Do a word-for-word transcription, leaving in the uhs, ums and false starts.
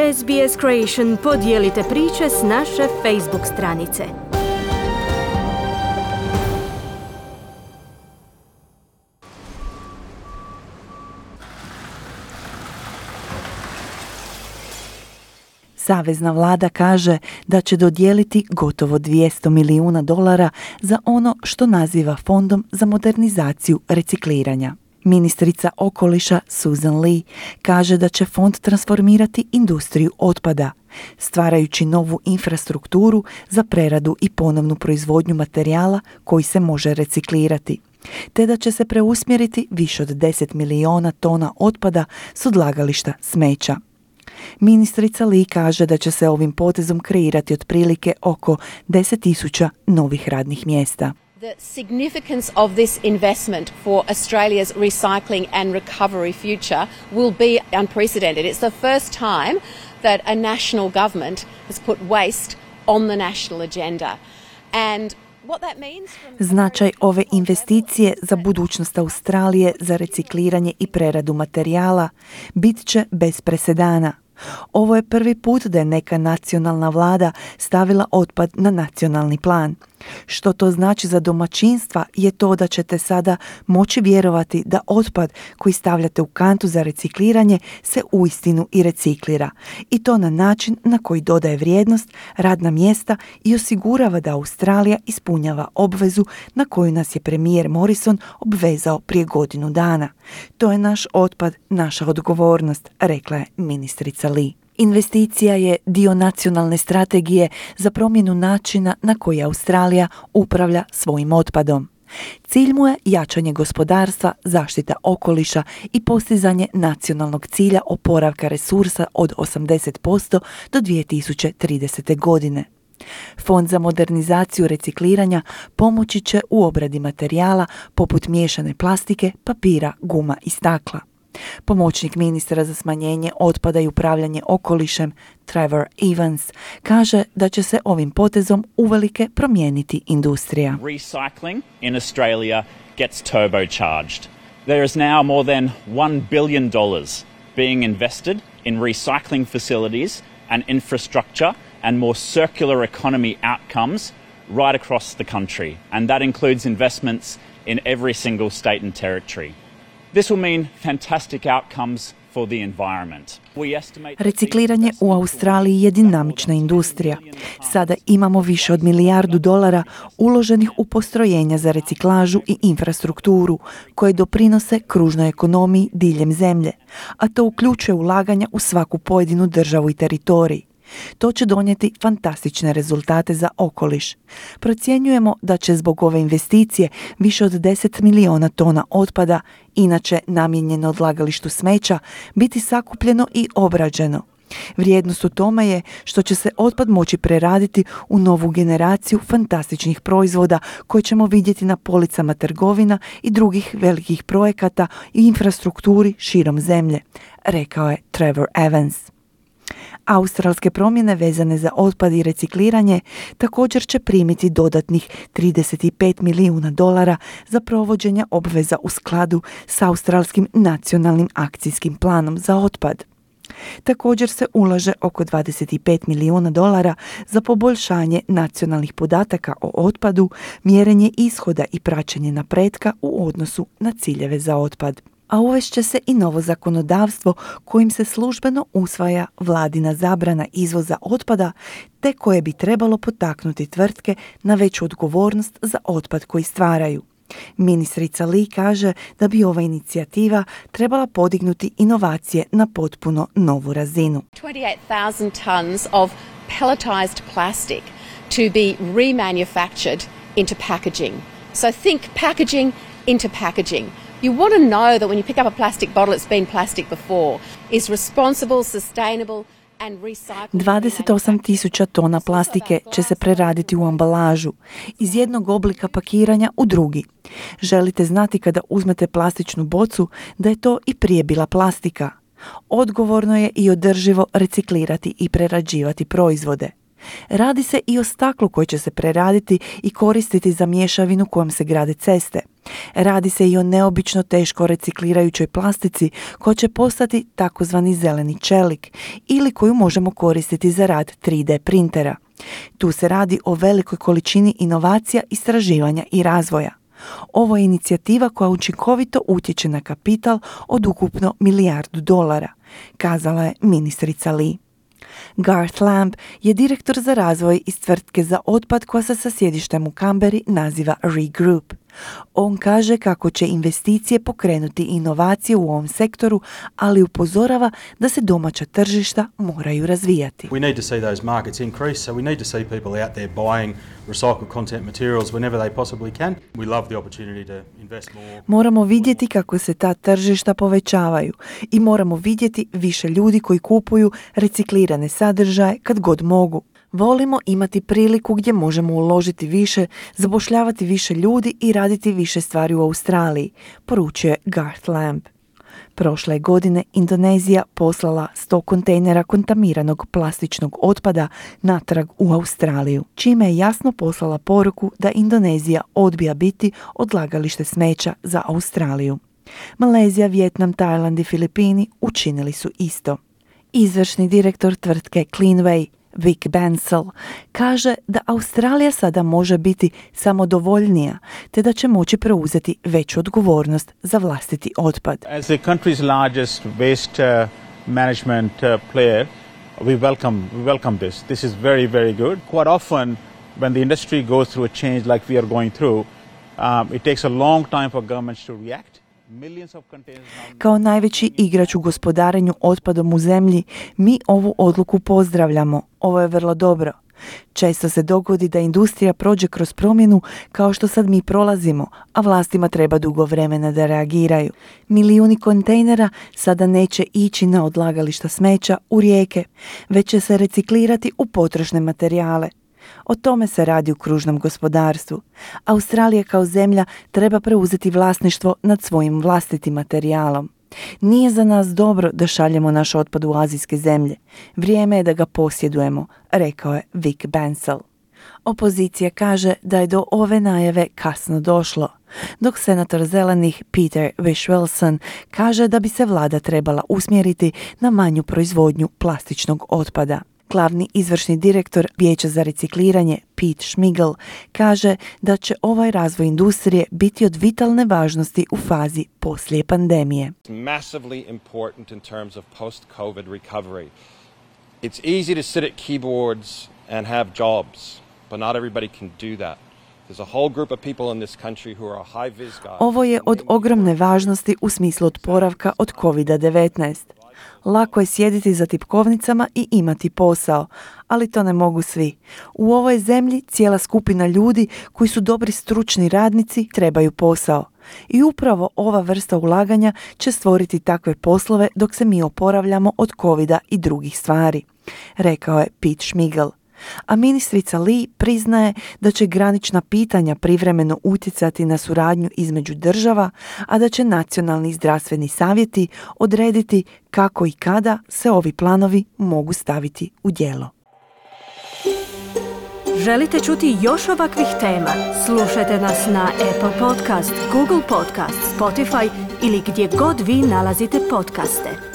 S B S Creation podijelite priče s naše Facebook stranice. Savezna vlada kaže da će dodijeliti gotovo dvjesto milijuna dolara za ono što naziva Fondom za modernizaciju recikliranja. Ministrica okoliša Susan Lee kaže da će fond transformirati industriju otpada, stvarajući novu infrastrukturu za preradu i ponovnu proizvodnju materijala koji se može reciklirati, te da će se preusmjeriti više od deset milijuna tona otpada s odlagališta smeća. Ministrica Lee kaže da će se ovim potezom kreirati otprilike oko deset tisuća novih radnih mjesta. The significance of this investment for Australia's recycling and recovery future will be unprecedented. It's the first time that a national government has put waste on the national agenda. And what that means from... Značaj ove investicije za budućnost Australije za recikliranje i preradu materijala bit će bez presedana. Ovo je prvi put da je neka nacionalna vlada stavila otpad na nacionalni plan. Što to znači za domaćinstva je to da ćete sada moći vjerovati da otpad koji stavljate u kantu za recikliranje se uistinu i reciklira. I to na način na koji dodaje vrijednost, radna mjesta i osigurava da Australija ispunjava obvezu na koju nas je premijer Morrison obvezao prije godinu dana. To je naš otpad, naša odgovornost, rekla je ministrica Lee. Investicija je dio nacionalne strategije za promjenu načina na koji Australija upravlja svojim otpadom. Cilj mu je jačanje gospodarstva, zaštita okoliša i postizanje nacionalnog cilja oporavka resursa od osamdeset posto do dvije tisuće tridesete. godine. Fond za modernizaciju recikliranja pomoći će u obradi materijala poput miješane plastike, papira, guma i stakla. Pomoćnik ministra za smanjenje otpada i upravljanje okolišem Trevor Evans kaže da će se ovim potezom uvelike promijeniti industrija. Recycling in Australia gets turbocharged. There is now more than one billion dollars being invested in recycling facilities and infrastructure and more circular economy outcomes right across the country, and that includes investments in every single state and territory. This will mean fantastic outcomes for the environment. Recikliranje u Australiji je dinamična industrija. Sada imamo više od milijardu dolara uloženih u postrojenja za reciklažu i infrastrukturu koje doprinose kružnoj ekonomiji diljem zemlje, a to uključuje ulaganja u svaku pojedinu državu i teritorij. To će donijeti fantastične rezultate za okoliš. Procjenjujemo da će zbog ove investicije više od deset milijuna tona otpada, inače namijenjeno odlagalištu smeća, biti sakupljeno i obrađeno. Vrijednost u tome je što će se otpad moći preraditi u novu generaciju fantastičnih proizvoda koje ćemo vidjeti na policama trgovina i drugih velikih projekata i infrastrukturi širom zemlje, rekao je Trevor Evans. Australske promjene vezane za otpad i recikliranje također će primiti dodatnih trideset pet milijuna dolara za provođenje obveza u skladu s Australskim nacionalnim akcijskim planom za otpad. Također se ulaže oko dvadeset pet milijuna dolara za poboljšanje nacionalnih podataka o otpadu, mjerenje ishoda i praćenje napretka u odnosu na ciljeve za otpad. A uvešće se i novo zakonodavstvo kojim se službeno usvaja vladina zabrana izvoza otpada, te koje bi trebalo potaknuti tvrtke na veću odgovornost za otpad koji stvaraju. Ministrica Lee kaže da bi ova inicijativa trebala podignuti inovacije na potpuno novu razinu. twenty-eight thousand tons of pelletized plastic to be remanufactured into packaging. So think packaging into packaging. You want to know that when you pick up a plastic bottle, it's been plastic before, is responsible, sustainable and recyclable. dvadeset osam tisuća tona plastike će se preraditi u ambalažu, iz jednog oblika pakiranja u drugi. Želite znati kada uzmete plastičnu bocu da je to i prije bila plastika. Odgovorno je i održivo reciklirati i prerađivati proizvode. Radi se i o staklu koji će se preraditi i koristiti za mješavinu kojom se grade ceste. Radi se i o neobično teško reciklirajućoj plastici koja će postati takozvani zeleni čelik ili koju možemo koristiti za rad tri D printera. Tu se radi o velikoj količini inovacija, istraživanja i razvoja. Ovo je inicijativa koja učinkovito utječe na kapital od ukupno milijardu dolara, kazala je ministrica Lee. Garth Lamb je direktor za razvoj iz tvrtke za otpad koja se sa sjedištem u Canberri naziva Regroup. On kaže kako će investicije pokrenuti inovacije u ovom sektoru, ali upozorava da se domaća tržišta moraju razvijati. We need to see those markets increase, so we need to see people out there buying recycled content materials whenever they possibly can. We love the opportunity to invest more. Moramo vidjeti kako se ta tržišta povećavaju i moramo vidjeti više ljudi koji kupuju reciklirane sadržaje kad god mogu. Volimo imati priliku gdje možemo uložiti više, zapošljavati više ljudi i raditi više stvari u Australiji, poručuje Garth Lamb. Prošle godine Indonezija poslala sto kontejnera kontaminiranog plastičnog otpada natrag u Australiju, čime je jasno poslala poruku da Indonezija odbija biti odlagalište smeća za Australiju. Malezija, Vijetnam, Tajland i Filipini učinili su isto. Izvršni direktor tvrtke Cleanway, Vic Bensel, kaže da Australija sada može biti samodovoljnija, te da će moći preuzeti veću odgovornost za vlastiti otpad. As the country's largest waste uh, management uh, player, we welcome we welcome this. This is very very good. Quite often when the industry goes through a change like we are going through, um, it takes a long time for governments to react. Kao najveći igrač u gospodarenju otpadom u zemlji, mi ovu odluku pozdravljamo. Ovo je vrlo dobro. Često se dogodi da industrija prođe kroz promjenu kao što sad mi prolazimo, a vlastima treba dugo vremena da reagiraju. Milijuni kontejnera sada neće ići na odlagališta smeća u rijeke, već će se reciklirati u potrošne materijale. O tome se radi u kružnom gospodarstvu. Australija kao zemlja treba preuzeti vlasništvo nad svojim vlastitim materijalom. Nije za nas dobro da šaljemo naš otpad u azijske zemlje. Vrijeme je da ga posjedujemo, rekao je Vic Bensel. Opozicija kaže da je do ove najave kasno došlo, dok senator zelenih Peter Whish-Wilson kaže da bi se vlada trebala usmjeriti na manju proizvodnju plastičnog otpada. Glavni izvršni direktor Vijeća za recikliranje Pete Schmigel kaže da će ovaj razvoj industrije biti od vitalne važnosti u fazi poslije pandemije. Massively important in terms of post-COVID recovery. It's easy to sit at keyboards and have jobs, but not everybody can do that. There's a whole group of people in this country who are high vis guys. Ovo je od ogromne važnosti u smislu oporavka od kovid devetnaest. Lako je sjediti za tipkovnicama i imati posao, ali to ne mogu svi. U ovoj zemlji cijela skupina ljudi koji su dobri stručni radnici trebaju posao. I upravo ova vrsta ulaganja će stvoriti takve poslove dok se mi oporavljamo od kovida i drugih stvari, rekao je Pete Schmigel. A ministrica Lee priznaje da će granična pitanja privremeno utjecati na suradnju između država, a da će nacionalni zdravstveni savjeti odrediti kako i kada se ovi planovi mogu staviti u djelo. Želite čuti još ovakvih tema? Slušajte nas na Apple Podcast, Google Podcast, Spotify ili gdje god vi nalazite podcaste.